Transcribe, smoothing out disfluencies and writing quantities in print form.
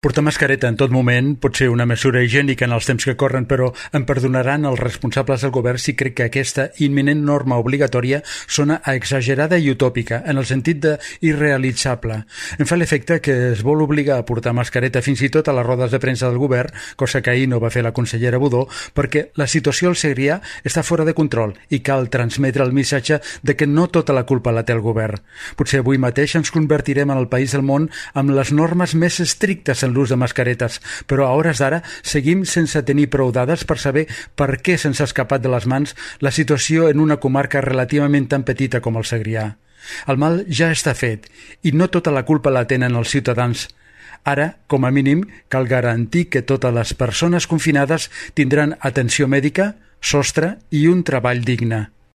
Portar mascareta en tot moment pot ser una mesura higiènica en els temps que corren, però em perdonaran els responsables del govern si crec que aquesta imminent norma obligatòria sona a exagerada i utòpica, en el sentit d'irrealitzable. Em fa l'efecte que es vol obligar a portar mascareta fins i tot a les rodes de premsa del govern, cosa que ahir no va fer la consellera Budó, perquè la situació al Segrià està fora de control i cal transmetre el missatge de que no tota la culpa la té el govern. Potser avui mateix ens convertirem en el país del món amb les normes més estrictes en l'ús de mascaretes, però a hores d'ara seguim sense tenir prou dades per saber per què se'ns ha escapat de les mans la situació en una comarca relativament tan petita com el Segrià. El mal ja està fet i no tota la culpa la tenen els ciutadans. Ara, com a mínim, cal garantir que totes les persones confinades tindran atenció mèdica, sostre i un treball digne.